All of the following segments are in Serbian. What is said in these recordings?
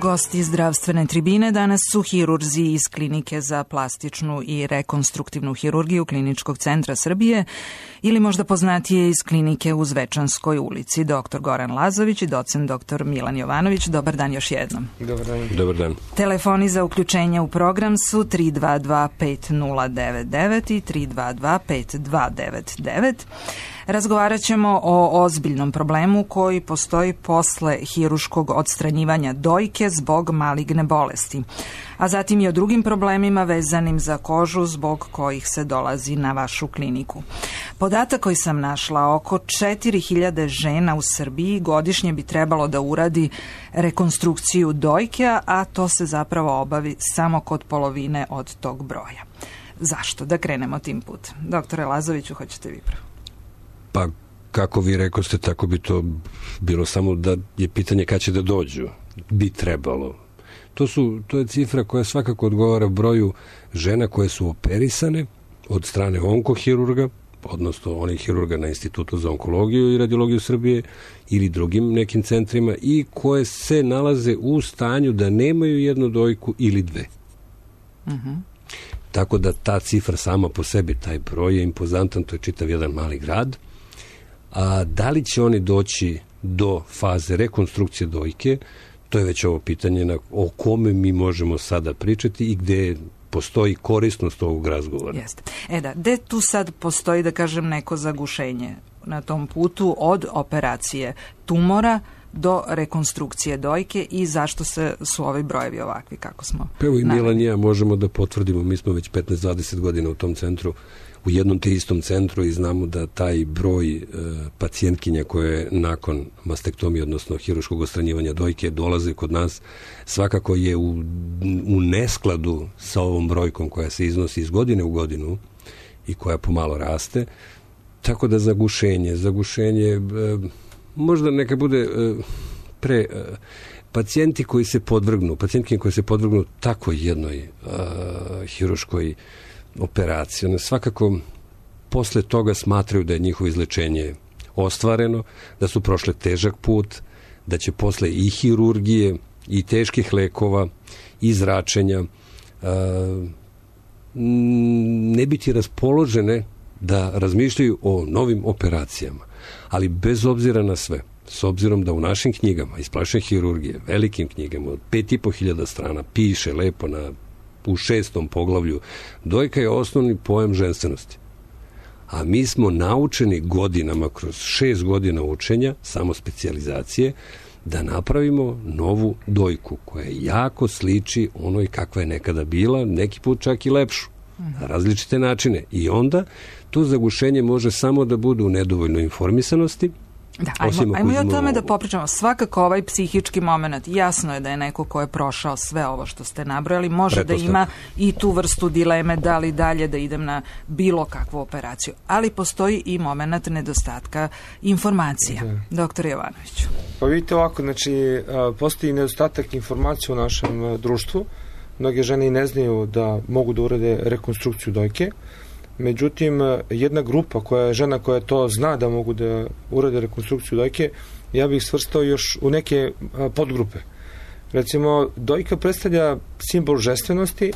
Gosti zdravstvene tribine danas su hirurzi iz Klinike za plastičnu i rekonstruktivnu hirurgiju Kliničkog centra Srbije ili možda poznatije iz klinike u Zvečanskoj ulici. Dr. Goran Lazović i docent dr. Milan Jovanović. Dobar dan još jednom. Dobar dan. Dobar dan. Telefoni za uključenje u program su 322-5099 i 322-5299. Razgovarat ćemo o ozbiljnom problemu koji postoji posle hiruškog odstranjivanja dojke zbog maligne bolesti, a zatim i o drugim problemima vezanim za kožu zbog kojih se dolazi na vašu kliniku. Podatak koji sam našla, oko 4000 žena u Srbiji godišnje bi trebalo da uradi rekonstrukciju dojke, a to se zapravo obavi samo kod polovine od tog broja. Zašto? Da krenemo tim putem. Doktore Lazoviću, hoćete vi prvo? Pa, kako vi rekoste, tako bi to bilo, samo da je pitanje kad će da dođu. Bi trebalo. To je cifra koja svakako odgovara broju žena koje su operisane od strane onkohirurga, odnosno onih hirurga na Institutu za onkologiju i radiologiju Srbije ili drugim nekim centrima i koje se nalaze u stanju da nemaju jednu dojku ili dve. Tako da ta cifra sama po sebi, taj broj je impozantan, to je čitav jedan mali grad. A da li će oni doći do faze rekonstrukcije dojke, to je već ovo pitanje o kome mi možemo sada pričati i gde postoji korisnost ovog razgovora. Jeste. Gde tu sad postoji, da kažem, neko zagušenje na tom putu od operacije tumora do rekonstrukcije dojke i zašto su ovi brojevi ovakvi kako smo Evo i Milan i ja možemo da potvrdimo, mi smo već 15-20 godina u tom centru, u jednom te istom centru i znamo da taj broj pacijentkinja koje nakon mastektomije, odnosno hiruškog odstranjivanja dojke dolaze kod nas, svakako je u neskladu sa ovom brojkom koja se iznosi iz godine u godinu i koja pomalo raste. Tako da zagušenje možda neka bude pacijentkinje koji se podvrgnu tako jednoj hiruškoj operaciji. One svakako posle toga smatraju da je njihovo izlečenje ostvareno, da su prošle težak put, da će posle i hirurgije i teških lekova i zračenja ne biti raspoložene da razmišljaju o novim operacijama. Ali bez obzira na sve, s obzirom da u našim knjigama iz plastične hirurgije, velikim knjigama od 5500 strana piše lepo u 6. poglavlju, dojka je osnovni pojam ženstvenosti. A mi smo naučeni godinama, kroz 6 godina učenja, samo specijalizacije, da napravimo novu dojku koja jako sliči onoj kakva je nekada bila, neki put čak i lepšu, na različite načine. I onda to zagušenje može samo da bude u nedovoljnoj informisanosti. Da, ajmo i o tome da popričamo. Svakako ovaj psihički moment, jasno je da je neko ko je prošao sve ovo što ste nabrojali, može da ima i tu vrstu dileme da li dalje da idem na bilo kakvu operaciju. Ali postoji i moment nedostatka informacija. Doktor Jovanoviću. Pa vidite ovako, postoji nedostatak informacija u našem društvu. Mnoge žene i ne znaju da mogu da urade rekonstrukciju dojke. Međutim, jedna grupa žena koja to zna da mogu da urade rekonstrukciju dojke, ja bih svrstao još u neke podgrupe. Recimo, dojka predstavlja simbol ženstvenosti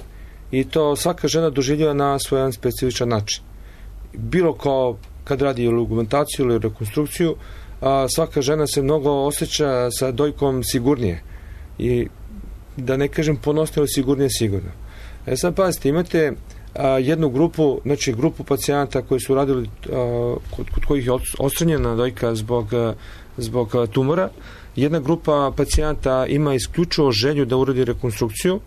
i to svaka žena doživljava na svoj specifičan način. Bilo kao kad radi ili augmentaciju ili rekonstrukciju, svaka žena se mnogo osjeća sa dojkom sigurnije i da ne kažem ponosnije, ali sigurnije sigurno. Sad pazite, imate jednu grupu, grupu pacijenata koji su radili, kod kojih je odstranjena dojka zbog tumora. Jedna grupa pacijenata ima isključivo želju da uradi rekonstrukciju.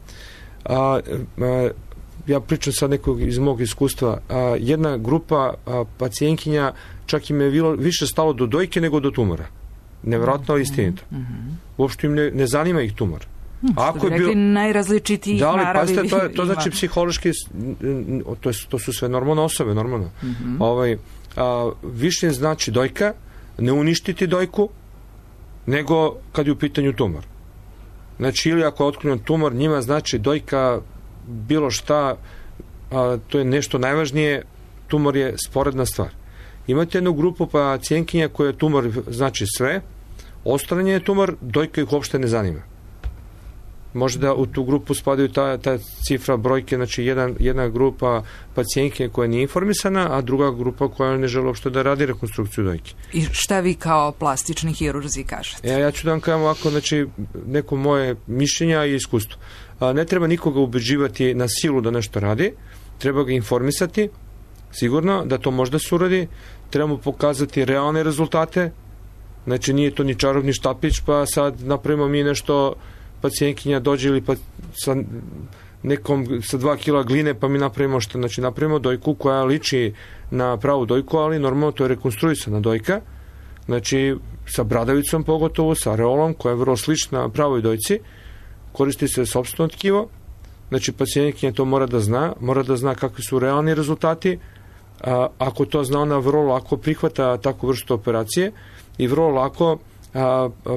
Ja pričam sad nekog iz mog iskustva. Jedna grupa pacijentkinja čak im je više stalo do dojke nego do tumora. Nevjerojatno, ali istinito. Uopšte im ne zanima ih tumor. Ako je rekli najrazličitiji naravi. To znači psihološki, to su sve normalne osobe, normalno. Više znači dojka, ne uništiti dojku, nego kad je u pitanju tumor. Znači, ili ako je otkriven tumor, njima znači dojka bilo šta, to je nešto najvažnije, tumor je sporedna stvar. Imate jednu grupu pacijentkinja koja je tumor znači sve, odstranjen je tumor, dojka ih uopšte ne zanima. Možda u tu grupu spadaju ta cifra brojke, znači jedna grupa pacijentke koja nije informisana, a druga grupa koja ne želi uopšte da radi rekonstrukciju dojke. I šta vi kao plastični hirurzi kažete? Ja ću da vam kažem ovako, znači, neko moje mišljenja i iskustvo. Ne treba nikoga ubeđivati na silu da nešto radi, treba ga informisati, sigurno, da to možda se uradi, treba mu pokazati realne rezultate, znači nije to ni čarobni štapić, pa sad napravimo mi nešto, pacijentkinja dođe ili sa 2 kila gline, pa mi napravimo što, znači napravimo dojku koja liči na pravu dojku, ali normalno to je rekonstruisana dojka, znači sa bradavicom pogotovo, sa areolom koja je vrlo slična pravoj dojci, koristi se sopstveno tkivo, znači pacijentkinja to mora da zna kakvi su realni rezultati, ako to zna, ona vrlo lako prihvata takvu vrstu operacije i vrlo lako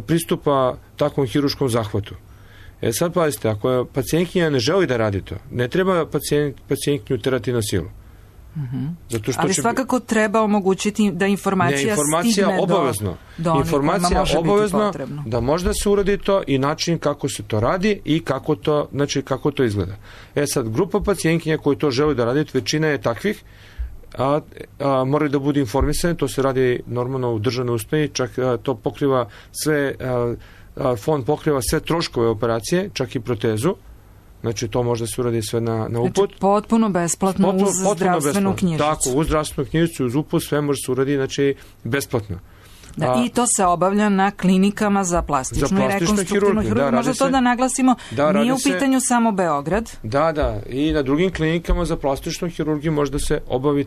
pristupa takvom hiruškom zahvatu. Sad pazite, ako pacijentkinja ne želi da radi to, ne treba pacijentkinju terati na silu. Zato što ali svakako treba omogućiti da informacija stigne obavezno. do onih kojima može biti potrebno. Da možda se uradi to i način kako se to radi i kako to izgleda. Sad, grupa pacijentkinja koji to želi da radi, većina je takvih, moraju da budu informisane, to se radi normalno u državnoj ustanovi, čak to pokriva sve, fond pokriva sve troškove operacije, čak i protezu, znači to možda se uradi sve na uput. Znači potpuno besplatno uz zdravstvenu knjižicu. Tako, uz zdravstvenu knjižicu, uz uput, sve može se uradi, znači besplatno. I to se obavlja na klinikama za plastičnu i rekonstruktivnu hirurgiju. Možda to da naglasimo, nije u pitanju samo Beograd. Da, i na drugim klinikama za plastičnu hirurgiju možda se obavi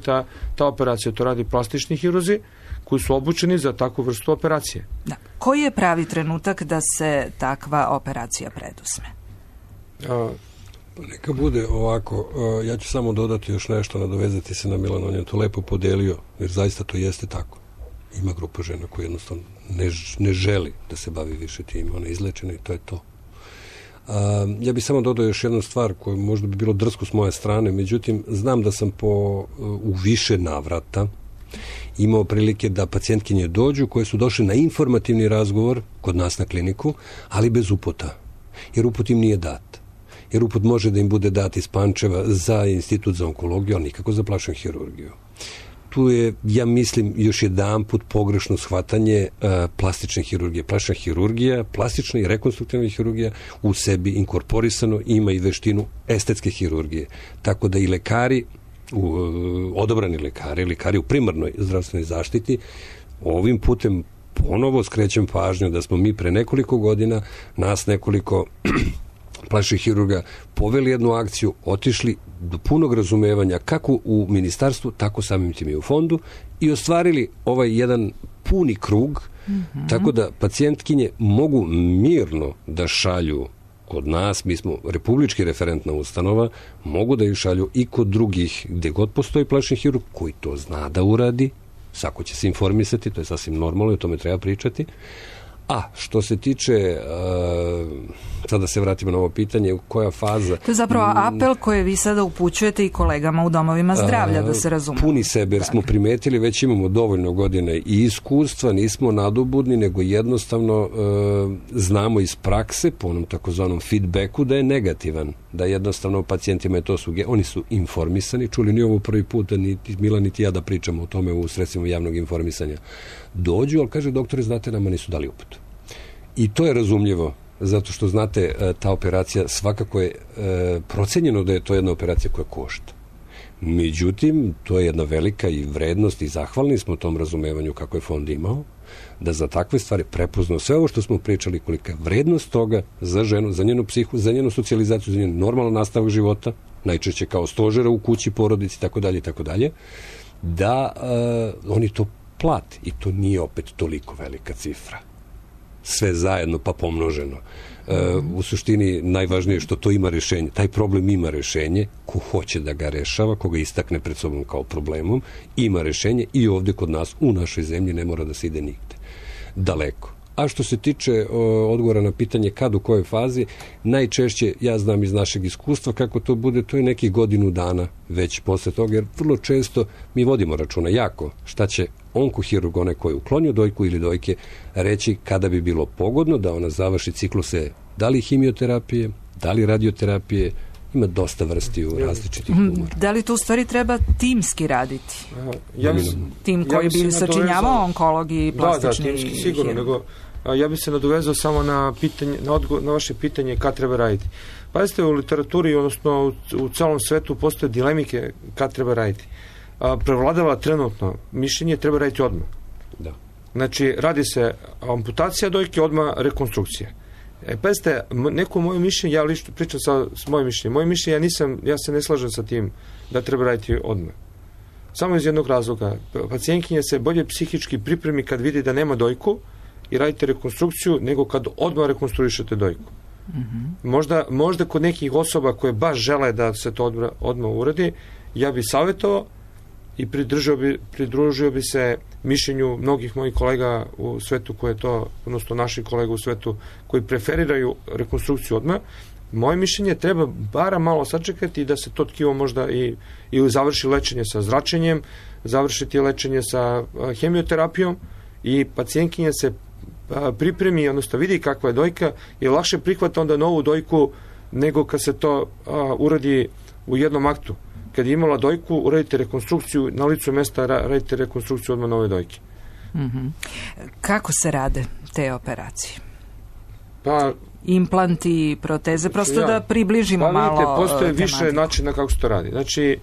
ta operacija. To radi plastični hirurzi koji su obučeni za takvu vrstu operacije. Da. Koji je pravi trenutak da se takva operacija preduzme? Neka bude ovako, ja ću samo dodati još nešto, nadovezati se na Milana, on je to lepo podelio, jer zaista to jeste tako. Ima grupa žena koja jednostavno ne želi da se bavi više tim, ona je izlečena i to je to. Ja bih samo dodao još jednu stvar koju možda bi bilo drsko s moje strane, međutim, znam da sam u više navrata imao prilike da pacijentkinje dođu koje su došle na informativni razgovor kod nas na kliniku, ali bez uputa, jer uput im nije dat. Jer uput može da im bude dat iz Pančeva za institut za onkologiju, ali nikako za plastičnu hirurgiju. Tu je, ja mislim, još jedanput pogrešno shvatanje plastične hirurgije. Plastična hirurgija, plastična i rekonstruktivna hirurgija u sebi inkorporisano ima i veštinu estetske hirurgije. Tako da i lekari, odabrani lekari u primarnoj zdravstvenoj zaštiti, ovim putem ponovo skrećem pažnju da smo mi pre nekoliko godina, nas nekoliko plastičnih hirurga poveli jednu akciju, otišli do punog razumevanja kako u ministarstvu, tako samim tim i u fondu i ostvarili ovaj jedan puni krug, tako da pacijentkinje mogu mirno da šalju kod nas, mi smo republički referentna ustanova, mogu da ih šalju i kod drugih, gde god postoji plastični hirurg koji to zna da uradi, svako će se informisati, to je sasvim normalno i o tome treba pričati. A što se tiče, sada se vratimo na ovo pitanje, koja faza... To je zapravo apel koji vi sada upućujete i kolegama u domovima zdravlja, da se razume. Puni sebe, jer smo primetili, već imamo dovoljno godina i iskustva, nismo nadobudni, nego jednostavno znamo iz prakse, po onom takozvanom feedbacku, da je negativan, da jednostavno pacijentima je to oni su informisani, čuli ni ovo prvi put, niti Mila, niti ja da pričamo o tome u sredstvima javnog informisanja. Dođu, ali kaže, doktore, znate, nama nisu dali uput. I to je razumljivo, zato što, znate, ta operacija svakako je procenjeno da je to jedna operacija koja košta. Međutim, to je jedna velika i vrednost i zahvalni smo tom razumevanju kako je fond imao, da za takve stvari prepoznao sve ovo što smo pričali, kolika je vrednost toga za ženu, za njenu psihu, za njenu socijalizaciju, za njen normalan nastavak života, najčešće kao stožera u kući, porodici, tako dalje, da oni to plati. I to nije opet toliko velika cifra. Sve zajedno pa pomnoženo. U suštini najvažnije je što to ima rešenje. Taj problem ima rešenje. Ko hoće da ga rešava, ko ga istakne pred sobom kao problemom, ima rešenje i ovde kod nas, u našoj zemlji, ne mora da se ide nigde. Daleko. A što se tiče odgovora na pitanje kad, u kojoj fazi, najčešće, ja znam iz našeg iskustva kako to bude, to je nekih godinu dana već posle toga, jer vrlo često mi vodimo računa jako šta će onkohirurg, onaj koji je uklonio dojku ili dojke, reći kada bi bilo pogodno da ona završi cikluse Da li hemioterapije, da li radioterapije, ima dosta vrsti u različitih tumora. Da li tu u stvari treba timski raditi? Tim koji bi sačinjavao onkologi i plastični Da, timski sigurno, nego ja bih se nadovezao samo na vaše pitanje kad treba raditi. Pazite, u literaturi, odnosno u celom svetu postoje dilemike kad treba raditi. Prevladava trenutno mišljenje treba raditi odmah. Da. Znači, radi se amputacija dojke, odmah rekonstrukcija. Pazite, neko moje mišljenje, ja lično pričam s mojim mišljenjem. Moje mišljenje, ja se ne slažem sa tim da treba raditi odmah. Samo iz jednog razloga. Pacijentkinja se bolje psihički pripremi kad vidi da nema dojku i radite rekonstrukciju, nego kad odmah rekonstruišete dojku. Možda kod nekih osoba koje baš žele da se to odmah uradi, ja bih savjetovao i pridružio bi se mišljenju mnogih mojih kolega u svetu koje to, odnosno naših kolega u svetu koji preferiraju rekonstrukciju odmah. Moje mišljenje treba bara malo sačekati da se to tkivo možda ili završi lečenje sa zračenjem, završiti lečenje sa hemioterapijom i pacijentkinja se pripremi, odnosno vidi kakva je dojka i lakše prihvata onda novu dojku nego kad se to uradi u jednom aktu. Kad je imala dojku, uradite rekonstrukciju, na licu mesta radite rekonstrukciju odmah nove dojke. Kako se rade te operacije? Pa, implanti, proteze, prosto da približimo malo tematiku. Postoje više načina kako se to radi. Znači,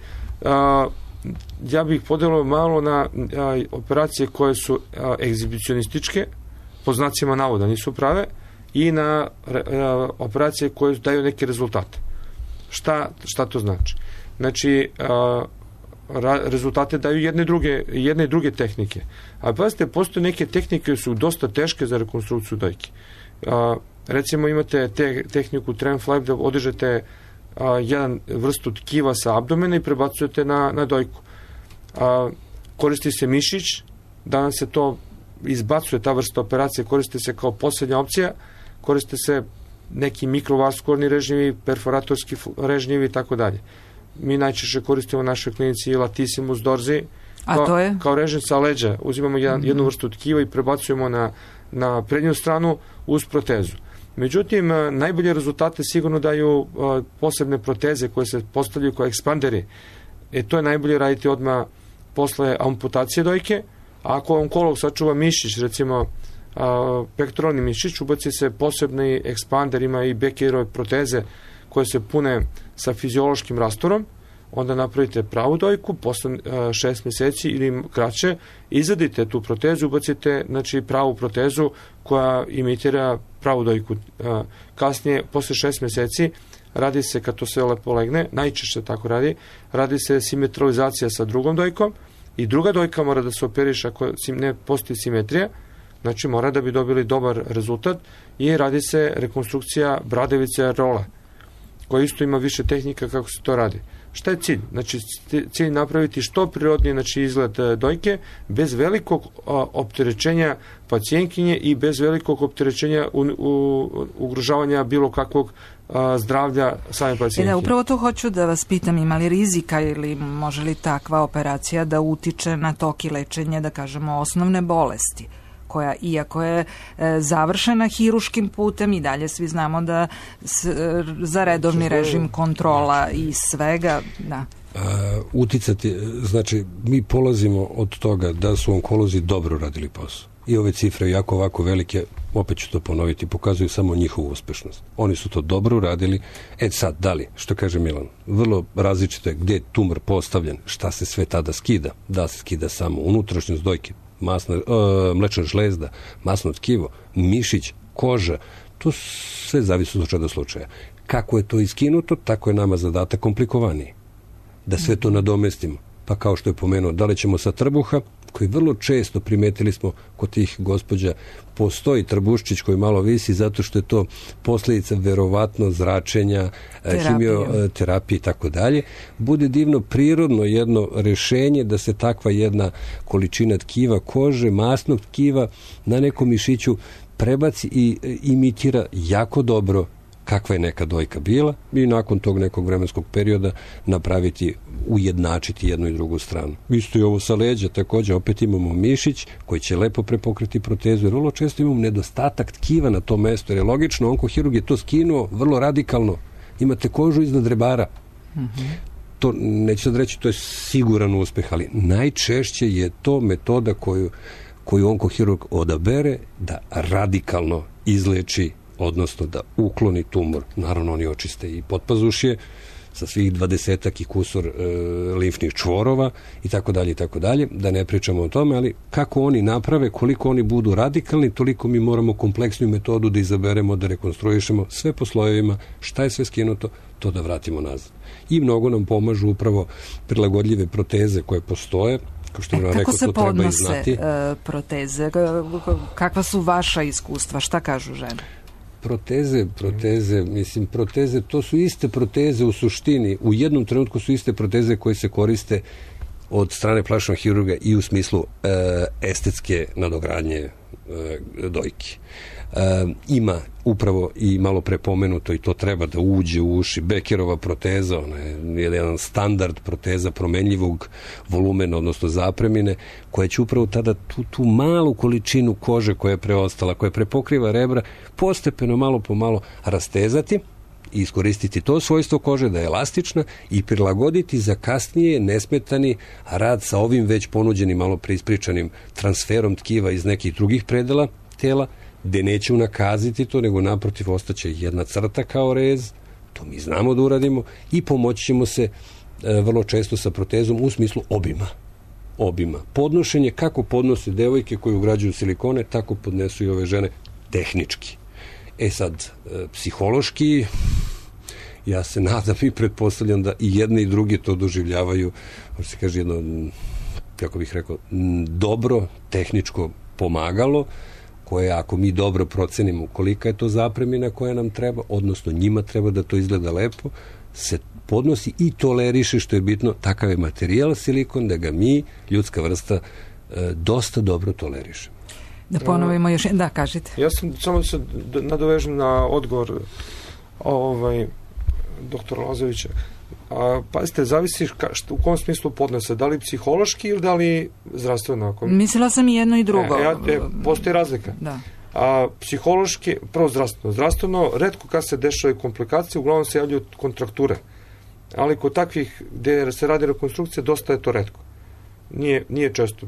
ja bih podelio malo na operacije koje su egzibicionističke, po znacima navoda nisu prave, i na operacije koje daju neke rezultate. Šta to znači? Znači, rezultate daju jedne i druge tehnike. A pazite, postoje neke tehnike koje su dosta teške za rekonstrukciju dojke. Recimo imate tehniku tram flap da odižete jedan vrstu tkiva sa abdomena i prebacujete na dojku. Koristi se mišić, danas se to izbacuje, ta vrsta operacije koristi se kao posljednja opcija, koriste se neki mikrovaskularni režnjevi, perforatorski režnjevi i tako dalje. Mi najčešće koristimo u našoj klinici latissimus dorsi, kao režim sa leđa. Uzimamo jednu vrstu tkiva i prebacujemo na prednju stranu uz protezu. Međutim, najbolje rezultate sigurno daju posebne proteze koje se postavljaju kao ekspanderi. To je najbolje raditi odmah posle amputacije dojke. A ako onkolog sačuva mišić, recimo pektoralni mišić, ubaci se posebni ekspander, ima i Beckerove proteze koje se pune sa fiziološkim rastorom, onda napravite pravu dojku, posle 6 mjeseci ili kraće, izadite tu protezu, ubacite pravu protezu koja imitira pravu dojku. Kasnije, posle 6 mjeseci, radi se, kad to sve lepo legne, najčešće tako radi se simetralizacija sa drugom dojkom i druga dojka mora da se operiše ako ne postoji simetrija, znači mora da bi dobili dobar rezultat i radi se rekonstrukcija bradavice rola, koja isto ima više tehnika kako se to radi. Šta je cilj? Znači, cilj napraviti što prirodniji izgled dojke, bez velikog opterećenja pacijentkinje i bez velikog opterećenja ugrožavanja bilo kakvog zdravlja same pacijentkinje. Upravo to hoću da vas pitam, ima li rizika ili može li takva operacija da utiče na tok i lečenje, da kažemo, osnovne bolesti, koja, iako je završena hiruškim putem, i dalje svi znamo da za redovni režim kontrola i svega, da. Uticati, znači, mi polazimo od toga da su onkolozi dobro radili posao. I ove cifre, jako ovako velike, opet ću to ponoviti, pokazuju samo njihovu uspešnost. Oni su to dobro uradili. Sad, da li, što kaže Milan, vrlo različito je gdje je tumor postavljen, šta se sve tada skida. Da se skida samo unutrašnjost dojke, mlečna žlezda, masno tkivo, mišić, koža, to sve zavisi od slučaja do slučaja. Kako je to iskinuto, tako je nama zadatak komplikovaniji. Da sve to nadomestimo. Pa kao što je pomenuo, da li ćemo sa trbuha, koji vrlo često primetili smo kod tih gospođa, postoji trbuščić koji malo visi zato što je to posljedica verovatno zračenja, hemioterapije i tako dalje. Bude divno prirodno jedno rešenje da se takva jedna količina tkiva kože, masnog tkiva na nekom mišiću prebaci i imitira jako dobro kakva je neka dojka bila i nakon tog nekog vremenskog perioda napraviti, ujednačiti jednu i drugu stranu. Isto i ovo sa leđa, također opet imamo mišić koji će lepo prepokriti protezu, jer vrlo često imamo nedostatak tkiva na tom mestu, jer je logično, onkohirurg je to skinuo vrlo radikalno. Imate kožu iznad rebara. To, neću sad reći, to je siguran uspeh, ali najčešće je to metoda koju onkohirurg odabere da radikalno izleči, odnosno da ukloni tumor. Naravno, oni očiste i potpazušje sa svih 20 i kusur limfnih čvorova i tako dalje, da ne pričamo o tome, ali kako oni naprave, koliko oni budu radikalni, toliko mi moramo kompleksnu metodu da izaberemo, da rekonstruišemo sve po slojevima, šta je sve skinuto, to da vratimo nazad. I mnogo nam pomažu upravo prilagodljive proteze koje postoje. Kako se podnose proteze? Kakva su vaša iskustva? Šta kažu žene? Proteze, to su iste proteze u suštini. U jednom trenutku su iste proteze koje se koriste od strane plastičnog hirurga i u smislu estetske nadogradnje dojki. Ima upravo i malo prepomenuto, i to treba da uđe u uši, Beckerova proteza, ona je jedan standard proteza promenljivog volumena, odnosno zapremine, koja će upravo tada tu malu količinu kože koja je preostala, koja prepokriva rebra, postepeno, malo po malo rastezati i iskoristiti to svojstvo kože da je elastična i prilagoditi za kasnije nesmetani rad sa ovim već ponuđenim, malo preispričanim transferom tkiva iz nekih drugih predela tela, gde neće unakaziti to, nego naprotiv ostaće jedna crta kao rez, to mi znamo da uradimo, i pomoći ćemo se vrlo često sa protezom u smislu obima. Podnošenje, kako podnose devojke koje ugrađuju silikone, tako podnesu i ove žene tehnički. Sad, psihološki, ja se nadam i pretpostavljam da i jedni i drugi to doživljavaju, se kaže jedno, kako bih rekao, dobro tehničko pomagalo, koje, ako mi dobro procenimo kolika je to zapremina koja nam treba, odnosno njima treba da to izgleda lepo, se podnosi i toleriše, što je bitno, takav je materijal silikon, da ga mi, ljudska vrsta, dosta dobro toleriše. Da ponovimo još, da, kažite. Ja sam samo se nadovežem na odgovor doktora Lazovića. Pazite, zavisi u kom smislu podnose, da li psihološki ili da li zdravstveno? Mislila sam i jedno i drugo. Postoji razlika. Da. Psihološki, prvo zdravstveno, retko kad se dešavaju komplikacije, uglavnom se javljaju kontrakture. Ali kod takvih gde se radi rekonstrukcija, dosta je to retko. Nije često.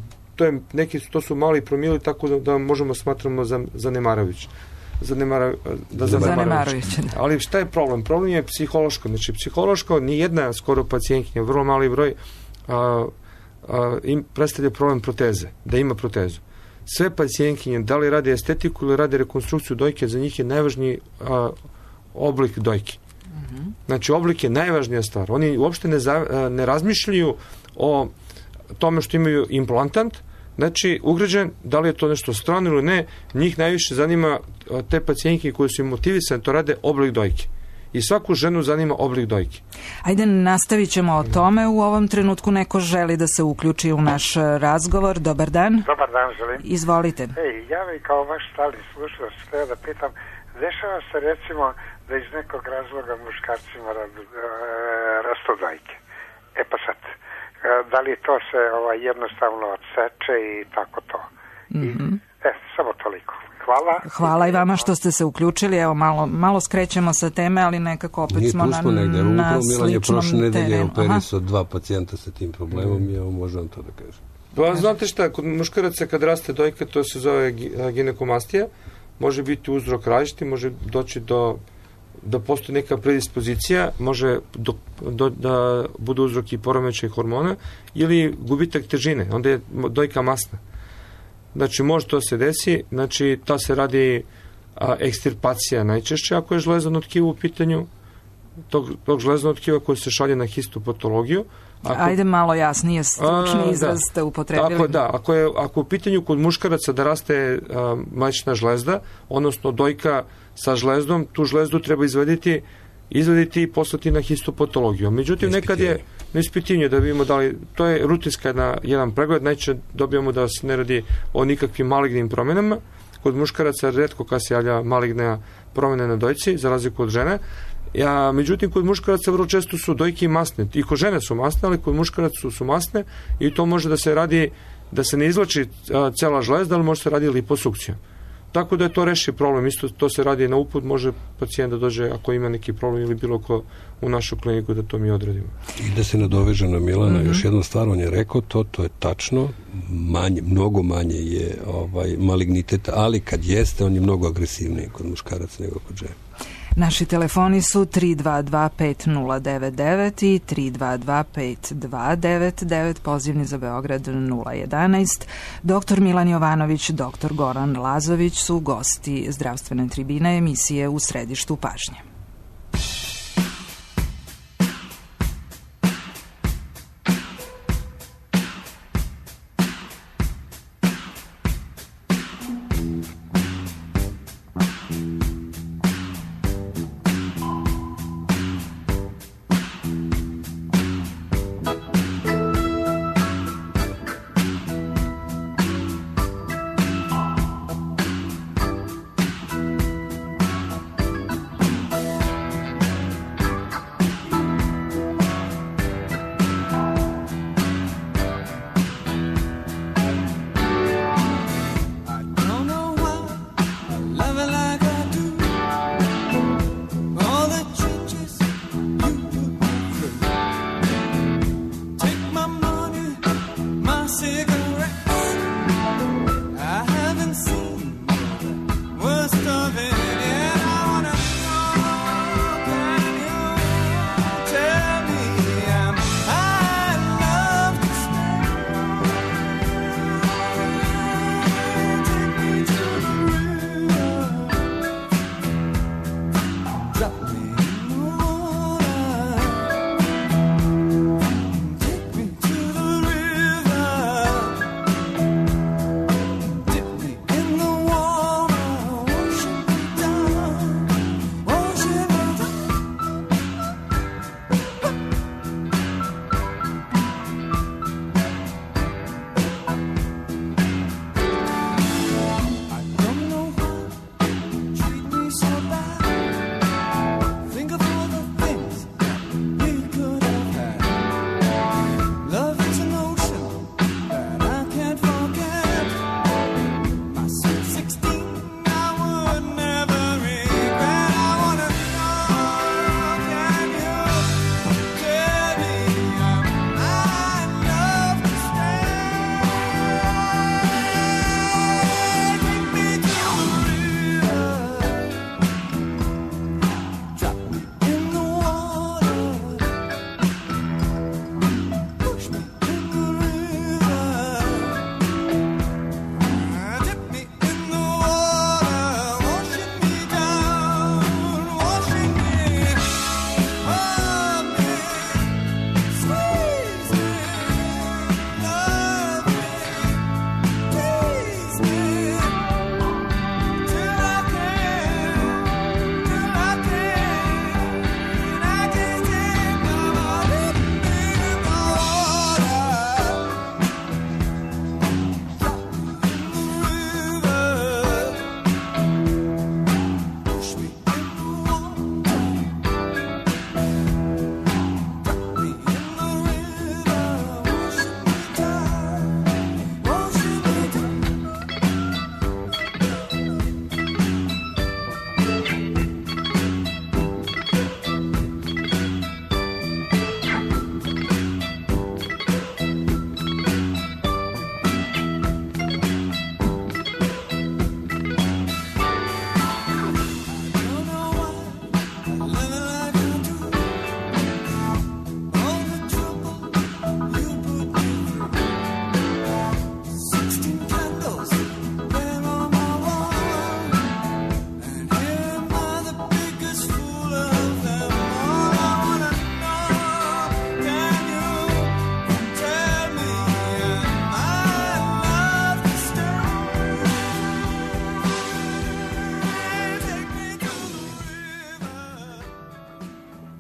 To su mali promili, tako da možemo smatramo zanemarujući. Ali šta je problem? Problem je psihološko. Znači, psihološko, ni jedna skoro pacijentkinja, vrlo mali broj, im predstavlja problem proteze, da ima protezu. Sve pacijentkinje, da li radi estetiku ili radi rekonstrukciju dojke, za njih je najvažniji oblik dojke. Znači, oblik je najvažnija stvar. Oni uopšte ne razmišljaju o tome što imaju implantant, znači, ugrađen, da li je to nešto strano ili ne, njih najviše zanima, te pacijentke koje su im motivisane, to rade oblik dojke. I svaku ženu zanima oblik dojke. Ajde, nastavit ćemo o tome. U ovom trenutku neko želi da se uključi u naš razgovor. Dobar dan. Dobar dan, želim. Izvolite. Ja bih kao vaš stalni slušalac htio da pitam, dešava se recimo da iz nekog razloga muškarcima rastu dojke. Pa sad, da li to se jednostavno odseče i tako to. Samo toliko. Hvala i vama što ste se uključili. Evo, malo skrećemo sa teme, ali nekako opet smo na sličnom prošle nedelje terenu. Operisao 2 pacijenta sa tim problemom i evo možem to da kažem. Znate šta, kod muškaraca kad raste dojka, to se zove ginekomastija, može biti uzrok različiti, može doći da postoji neka predispozicija, može da bude uzrok i poremećaj hormona ili gubitak težine, onda je dojka masna. Znači, može to se desi, znači, ta se radi ekstirpacija najčešće, ako je žlezano tkivo u pitanju, tog žlezanog tkiva koje se šalje na histopatologiju. Ajde malo jasnije, stručni izraz ste upotrebili. Ako u pitanju kod muškaraca da raste mlečna žlezda, odnosno dojka sa žlezdom, tu žlezdu treba izvaditi i poslati na histopatologiju. Međutim, nekad je na ispitivanju da vidimo da li, to je rutinska jedan pregled, najčešće dobijamo da se ne radi o nikakvim malignim promjenama. Kod muškaraca retko kad se javlja maligna promene na dojci, za razliku od žene. Međutim, kod muškaraca vrlo često su dojke i masne. I kod žene su masne, ali kod muškaraca su masne i to može da se radi, da se ne izvlači cela žlezda, ali može se radi liposukcijom. Tako da je to reši problem. Isto to se radi na uput, može pacijent da dođe ako ima neki problem ili bilo ko u našu kliniku da to mi odradimo. I da se nadoveže na Milana, još jednu stvar, on je rekao to je tačno, mnogo manje je malignitet, ali kad jeste, on je mnogo agresivniji kod muškaraca nego kod žena. Naši telefoni su 322-5099 i 322-5299, pozivni za Beograd 011. Dr. Milan Jovanović, dr. Goran Lazović su gosti zdravstvene tribine emisije U središtu pažnje.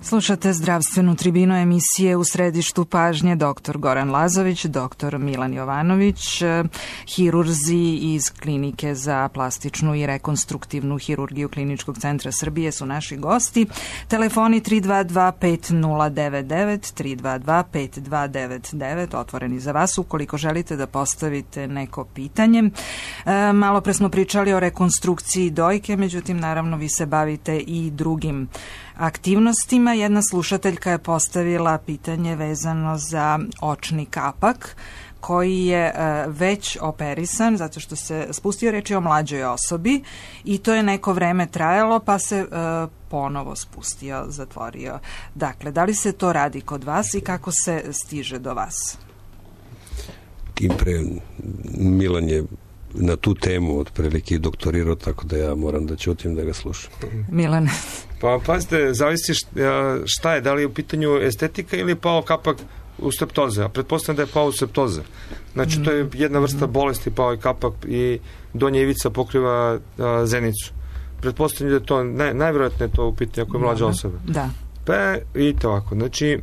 Slušate zdravstvenu tribinu emisije U središtu pažnje dr. Goran Lazović, dr. Milan Jovanović, hirurzi iz Klinike za plastičnu i rekonstruktivnu hirurgiju Kliničkog centra Srbije su naši gosti. Telefoni 322-5099, 322-5299, otvoreni za vas ukoliko želite da postavite neko pitanje. Malo pre smo pričali o rekonstrukciji dojke, međutim, naravno, vi se bavite i drugim aktivnostima. Jedna slušateljka je postavila pitanje vezano za očni kapak koji je već operisan zato što se spustio, reč je o mlađoj osobi i to je neko vreme trajalo pa se ponovo spustio, zatvorio. Dakle, da li se to radi kod vas i kako se stiže do vas? Tim pre Milan je na tu temu otprilike doktorirao, tako da ja moram da ćutim da ga slušam. Milan. Pa pazite, zavisi šta je, da li je u pitanju estetika ili je pao kapak u septoze, a pretpostavljam da je pao u septoze. Znači, to je jedna vrsta bolesti, pao je kapak i donja ivica pokriva zenicu. Pretpostavljam da je to, najvjerojatnije je to u pitanju ako je mlađa osoba. Da. Pa, vidite ovako, znači,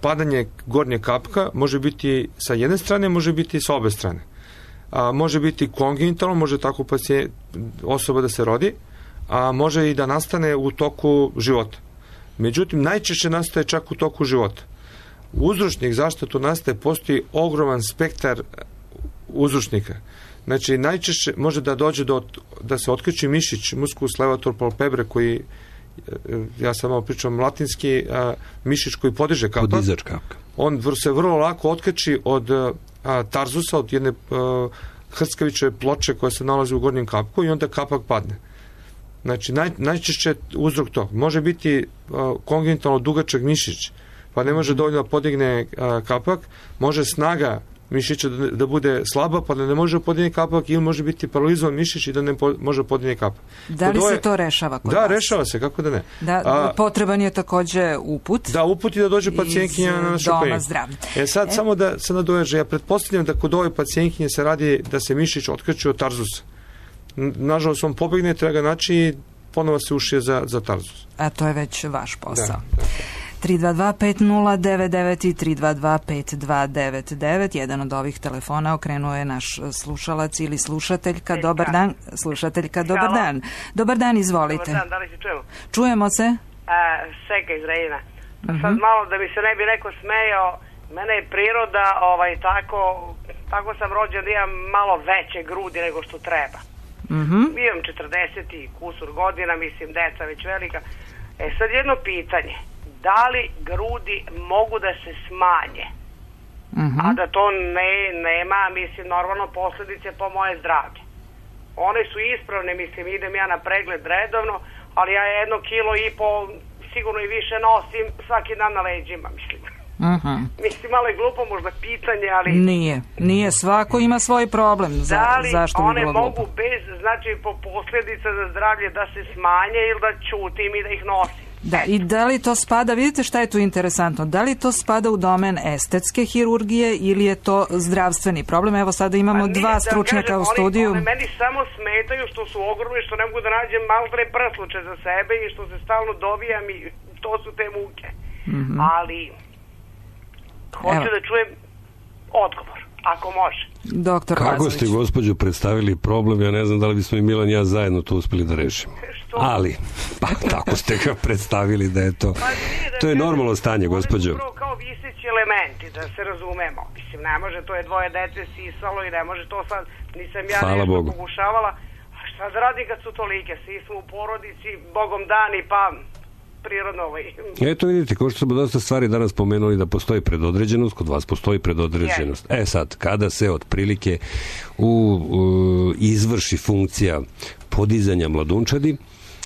padanje gornje kapka može biti sa jedne strane, može biti sa obe strane. Može biti kongenitalno, može tako osoba da se rodi, a može i da nastane u toku života. Međutim, najčešće nastaje čak u toku života. Uzročnik zašto to nastaje, postoji ogroman spektar uzročnika. Znači, najčešće može da dođe da se otkriči mišić, musculus levator palpebre, koji, ja sam malo pričam latinski, mišić koji podiže kapak. Podizač kapka. On se vrlo lako otkači od tarzusa, od jedne hrskaviće ploče koja se nalazi u gornjem kapku i onda kapak padne. Znači, najčešće uzrok to. Može biti kongenitalno dugačak mišić, pa ne može dovoljno podigne kapak, može snaga mišića da bude slaba, pa da ne može podigne kapak, ili može biti paralizovan mišić i da ne može podigne kapak. Da li se to rešava kod vas? Da, rešava se, kako da ne. Potreban je takođe uput. Da, uput i da dođe pacijentkinja na našu kliniku. Sad samo da se nadoveže, ja pretpostavljam da kod ove pacijentkinje se radi da se mišić otkreće od tarzusa. Nažalost, on pobegne, treba ga naći i ponovo se ušije za tarzus. A to je već vaš posao. Da. 322-5099 i 322-5299. Jedan od ovih telefona okrenuo je naš slušalac ili slušateljka. Dobar dan. Slušateljka, dobar dan. Dobar dan, izvolite. Dobar dan, da li se čujemo? Čujemo se. Seka iz Rejina. Sad malo da mi se ne bi neko smejao, mene je priroda tako sam rođen da imam malo veće grudi nego što treba. Imam 40 i kusur godina, mislim, deca već velika. Sad jedno pitanje. Da li grudi mogu da se smanje? A da to nema, mislim, normalno posljedice po moje zdravlje. One su ispravne, mislim, idem ja na pregled redovno, ali ja 1,5 kilo sigurno i više nosim svaki dan na leđima, mislim. Mislim, malo je glupo možda pitanje, ali... Nije, svako ima svoj problem. Zašto bi one bilo mogu glupo? bez, znači, po posljedica za zdravlje da se smanje ili da ćutim i da ih nosim? Da, i da li to spada, vidite šta je tu interesantno, da li to spada u domen estetske hirurgije ili je to zdravstveni problem? Evo sada imamo dva stručnjaka u studiju. One meni samo smetaju što su ogromni, što ne mogu da nađem maltre prsluče za sebe i što se stalno dovijam i to su te muke. Ali hoću da čujem odgovor, ako može. Doktor Kako Lazović. ste, gospođo, predstavili problem, ja ne znam da li bismo i Milan i ja zajedno to uspeli da rešimo. Ali, pa tako ste ga predstavili da je to. To je normalno stanje, gospođo. Upravo kao viseći elementi, da se razumemo. Mislim, ne može, to je dvoje dece sisalo i ne može to sad, nisam ja Hvala nešto Bogu. pokušavala. A šta da radi kad su tolike? Svi smo u porodici, Bogom dani, pa prirodno Eto vidite, kao što smo dosta stvari danas pomenuli da postoji predodređenost, kod vas postoji predodređenost. Sad, kada se otprilike izvrši funkcija podizanja mladunčadi,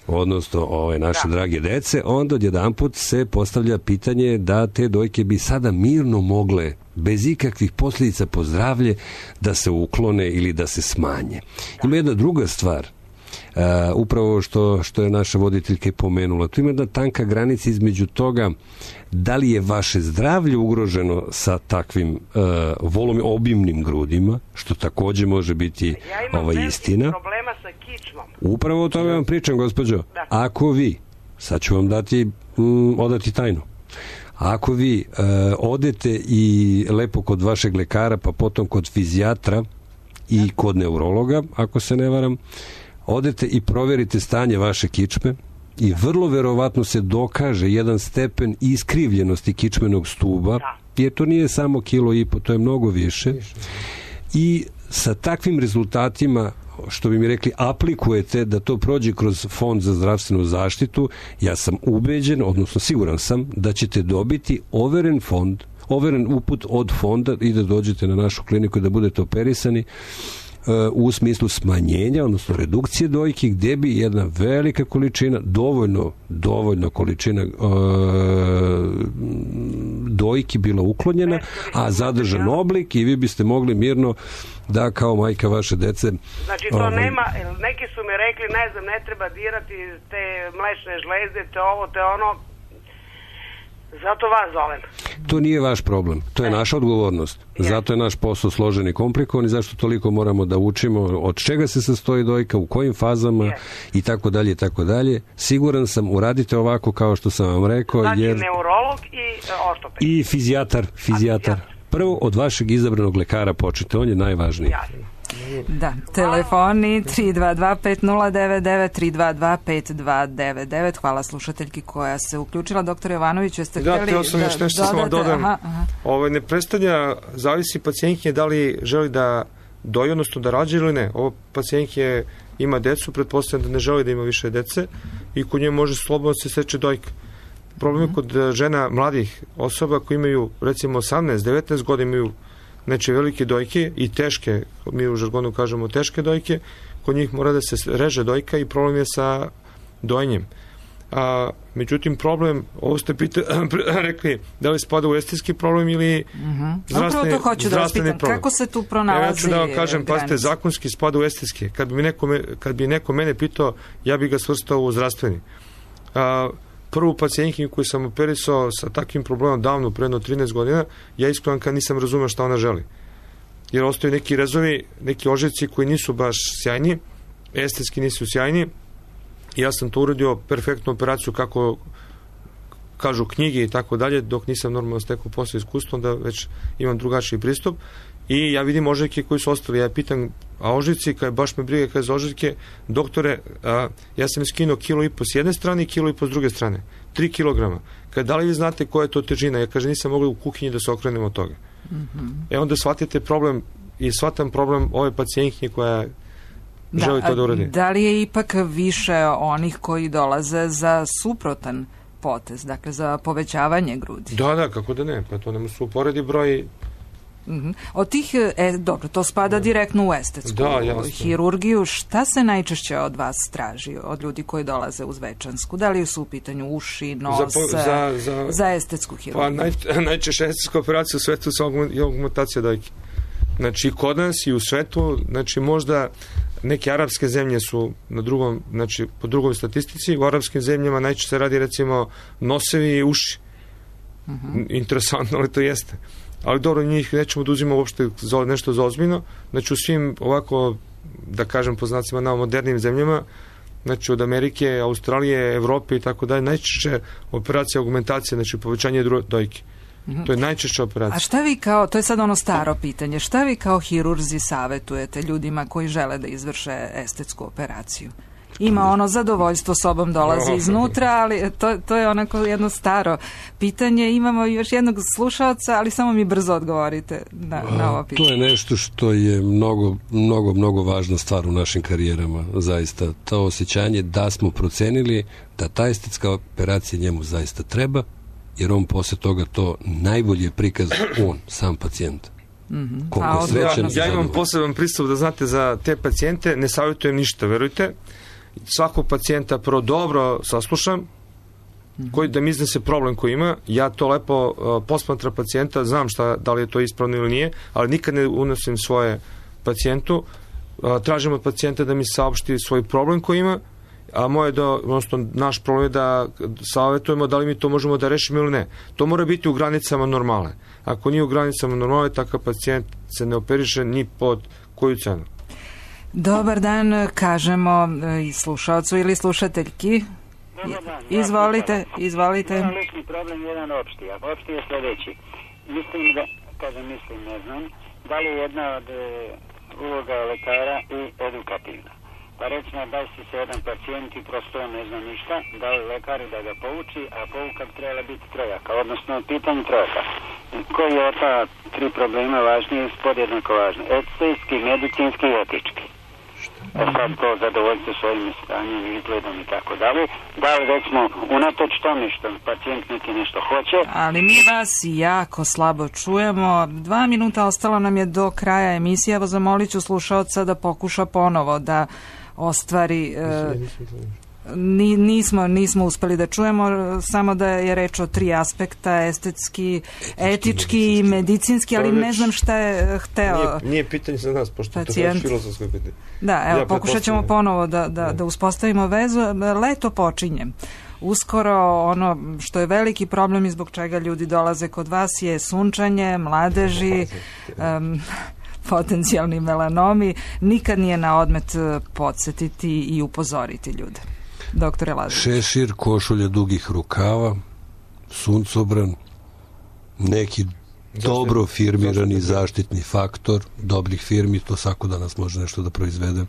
odnosno ove naše drage dece, onda odjedanput se postavlja pitanje da te dojke bi sada mirno mogle, bez ikakvih posljedica po zdravlje, da se uklone ili da se smanje. Ima jedna druga stvar, upravo što je naša voditeljka i pomenula. Tu ima jedna tanka granica između toga da li je vaše zdravlje ugroženo sa takvim obimnim grudima, što takođe može biti istina. Ja imam problema sa kičmom. Upravo o tome vam pričam, gospođo. Da. Ako vi, sad ću vam dati odati tajnu. Ako vi odete i lepo kod vašeg lekara, pa potom kod fizijatra i kod neurologa, ako se ne varam, odete i proverite stanje vaše kičme i vrlo verovatno se dokaže jedan stepen iskrivljenosti kičmenog stuba, jer to nije samo 1,5 kilo, to je mnogo više. I sa takvim rezultatima, što bi mi rekli, aplikujete da to prođe kroz Fond za zdravstvenu zaštitu, ja sam ubeđen, odnosno siguran sam, da ćete dobiti overen uput od fonda i da dođete na našu kliniku i da budete operisani u smislu smanjenja, odnosno redukcije dojki, gde bi jedna velika količina, dovoljna količina dojki bila uklonjena, a zadržan oblik i vi biste mogli mirno da kao majka vaše dece... Znači to nema, neki su mi rekli, ne znam, ne treba dirati te mlečne žlezde, te ovo, te ono, zato vas zovem. To nije vaš problem, to je naša odgovornost. Zato je naš posao složen i komplikovan i zašto toliko moramo da učimo od čega se sastoji dojka, u kojim fazama i tako dalje i tako dalje. Siguran sam, uradite ovako kao što sam vam rekao. Znači neurolog i ortoped. I fizijatar. Prvo od vašeg izabranog lekara počnite, on je najvažniji. Da, telefoni 322-5099, 322-5299. Hvala slušateljki koja se uključila. Doktor Jovanović, jeste htjeli da sam još nešto samo dodam. Ne predstavlja, zavisi pacijentke da li želi da doji, odnosno da rađe ili ne. Ovo pacijentke ima decu, pretpostavljam da ne želi da ima više dece i kod nje može slobodno se seče dojka. Problem je kod žena mladih osoba koji imaju recimo 18-19 godina, imaju znači velike dojke i teške, mi u žargonu kažemo teške dojke, kod njih mora da se reže dojka i problem je sa dojenjem. Međutim, problem, ovo ste rekli, da li spada u estetski problem ili zdravstveni problem. Kako se tu pronalazi? Ja ću da vam kažem, pazite, zakonski spada u estetski. Kad bi neko mene pitao, ja bi ga svrstao u zdravstveni. Prvu pacijentkinju koju sam operisao sa takvim problemom davno, predno 13 godina, ja iskreno kad nisam razumeo šta ona želi. Jer ostaju neki rezovi, neki ožiljci koji nisu baš sjajni, estetski nisu sjajni. Ja sam to uradio, perfektnu operaciju kako kažu knjige i tako dalje, dok nisam normalno stekao posle iskustvom, da već imam drugačiji pristup. I ja vidim ožiljke koji su ostali. Ja pitam, a ožiljci, kad baš me briga za ožiljke, doktore, ja sam skinuo 1,5 kilo s jedne strane i 1,5 kilo s druge strane. 3 kilograma. Da li vi znate koja je to težina? Ja kažem, nisam mogla u kuhinji da se okrenem od toga. Onda shvatite problem i shvatam problem ove pacijentkinje koja želi to da uradi. Da li je ipak više onih koji dolaze za suprotan potez, dakle za povećavanje grudi? Da, kako da ne, pa to nema se uporedi broj. Od tih, dobro, to spada direktno u estetsku hirurgiju. Šta se najčešće od vas traži, od ljudi koji dolaze uz večansku? Da li su u pitanju uši, nos, za estetsku hirurgiju? Pa najčešće estetska operacija u svetu je augmentacija dojke. Znači, kod nas i u svetu, znači možda neke arapske zemlje su na drugom, znači po drugoj statistici, u arapskim zemljama najčešće se radi recimo nosevi i uši. Interesantno, ali to jeste. Ali dobro, njih nećemo da uzimamo uopšte nešto za ozbiljno. Znači u svim ovako, da kažem po znacima na modernim zemljama, znači od Amerike, Australije, Evrope i tako dalje, najčešće operacija augmentacije, znači povećanje dojke. To je najčešća operacija. A šta vi kao, to je sad ono staro pitanje, šta vi kao hirurzi savjetujete ljudima koji žele da izvrše estetsku operaciju? Ima ono zadovoljstvo sobom dolazi iznutra, ali to je onako jedno staro pitanje. Imamo još jednog slušalca, ali samo mi brzo odgovorite na ovo pitanje. To je nešto što je mnogo važna stvar u našim karijerama, zaista. To osjećanje da smo procenili da ta estetska operacija njemu zaista treba, jer on posle toga to najbolje prikaza on, sam pacijent. Ja imam poseban pristup da znate za te pacijente, ne savjetujem ništa, verujte. Svakog pacijenta prvo dobro saslušam, koji da mi iznese problem koji ima, ja to lepo posmatram pacijenta, znam da li je to ispravno ili nije, ali nikad ne unosim svoje pacijentu, tražim od pacijenta da mi saopšti svoj problem koji ima, a naš problem je da savjetujemo da li mi to možemo da rešimo ili ne. To mora biti u granicama normale. Ako nije u granicama normale, takav pacijent se ne operiše ni pod koju cenu. Dobar dan, kažemo i slušalcu ili slušateljki. Izvolite. Jedan lični problem, jedan opšti. A opšti je sljedeći. Mislim da, ne znam, da li je jedna od uloga lekara i edukativna. Pa recimo, da si se jedan pacijent i prosto ne zna ništa, da li lekari da ga pouči, a pouka bi trebala biti trojaka, odnosno pitanje trojaka. Koji je od ta tri problema važnije, podjednako važno? Estetski, medicinski i etički. Sad to zadovoljstvo svojim stanjem, izgledom i tako dalje. Da li recimo unatoč tome što pacijent neki nešto hoće. Ali mi vas jako slabo čujemo. 2 minuta ostalo nam je do kraja emisije. Evo zamolit ću slušaoca da pokuša ponovo da ostvari... Nismo uspeli da čujemo, samo da je reč o 3 aspekta, estetski, etički i medicinski, ali ne znam šta je hteo. Nije pitanje za nas, pošto to je filozofsko pitanje. Da, evo, pokušat ćemo ponovo da uspostavimo vezu. Leto počinje. Uskoro ono što je veliki problem i zbog čega ljudi dolaze kod vas je sunčanje, mladeži, potencijalni melanomi. Nikad nije na odmet podsjetiti i upozoriti ljude. Doktore Lazović. Šešir, košulja dugih rukava, suncobran, neki dobro firmirani zaštitni faktor dobrih firmi, to svako danas može nešto da proizvede.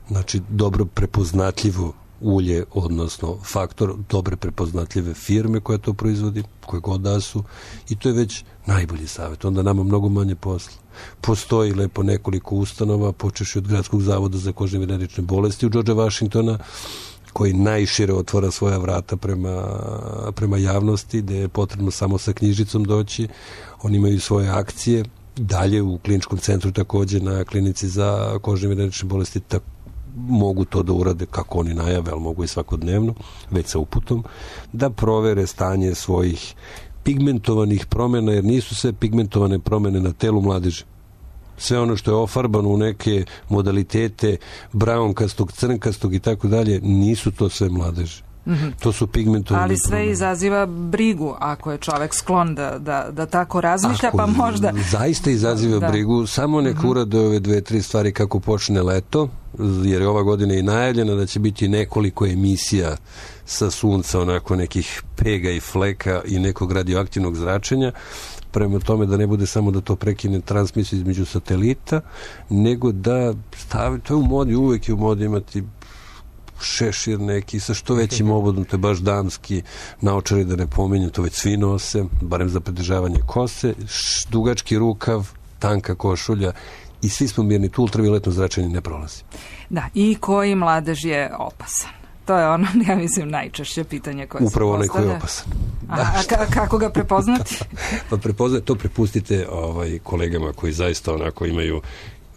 Znači, dobro prepoznatljivo ulje, odnosno faktor dobre prepoznatljive firme koja to proizvodi, koje god da su, i to je već najbolji savjet. Onda nama mnogo manje posla. Postoji lepo nekoliko ustanova, počevši od Gradskog zavoda za kožne i venerične bolesti u George Washingtona, koji najšire otvara svoja vrata prema javnosti, gde je potrebno samo sa knjižicom doći. Oni imaju svoje akcije. Dalje u kliničkom centru takođe na klinici za kožne i venerične bolesti mogu to da urade kako oni najave, ali mogu i svakodnevno, već sa uputom, da provere stanje svojih pigmentovanih promjena, jer nisu sve pigmentovane promjene na telu mladeži. Sve ono što je ofarbano u neke modalitete brownkastog, crnkastog i tako dalje, nisu to sve mladeži. To su pigmentovane ali sve promjene. Izaziva brigu ako je čovek sklon da tako razmišlja, pa možda... Zaista izaziva brigu, samo neka urade ove 2-3 stvari kako počne leto, jer je ova godina i najavljena da će biti nekoliko emisija sa sunca, onako nekih pega i fleka i nekog radioaktivnog zračenja, prema tome da ne bude samo da to prekine transmisiju između satelita, nego da stavi, to je u modi, uvek je u modi imati šešir neki sa što većim obodom, to je baš damski, naočari da ne pominjem, to već svi nose, barem za pridržavanje kose, dugački rukav, tanka košulja i svi smo mirni, tu ultravioletno zračenje ne prolazi. Da, i koji mladež je opasan? To je ono, ja mislim, najčešće pitanje koje se postavlja. Upravo onaj koji je opasan. A kako ga prepoznati? Pa to prepustite kolegama koji zaista onako imaju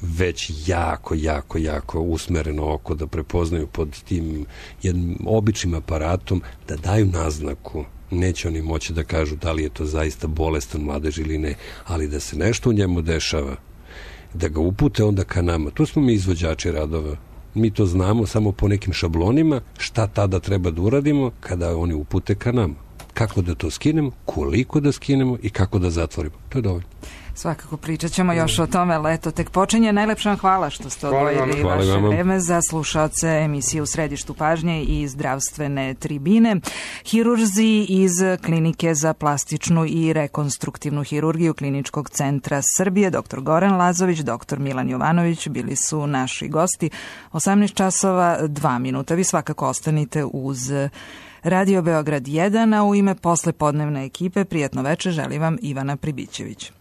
već jako usmereno oko da prepoznaju pod tim jednim običnim aparatom, da daju naznaku. Neće oni moći da kažu da li je to zaista bolestan mladež ili ne, ali da se nešto u njemu dešava, da ga upute onda ka nama. Tu smo mi izvođači radova. Mi to znamo samo po nekim šablonima šta tada treba da uradimo kada oni upute ka nama. Kako da to skinemo, koliko da skinemo i kako da zatvorimo. To je dovoljno. Svakako pričat ćemo još o tome, leto tek počinje. Najlepša vam hvala što ste odvojili vaše vreme za slušaoce emisije U središtu pažnje i zdravstvene tribine. Hirurzi iz Klinike za plastičnu i rekonstruktivnu hirurgiju Kliničkog centra Srbije, dr. Goran Lazović, dr. Milan Jovanović bili su naši gosti. 18 časova 2 minuta. Vi svakako ostanite uz Radio Beograd 1, a u ime poslepodnevne ekipe prijatno veče želi vam Ivana Pribićević.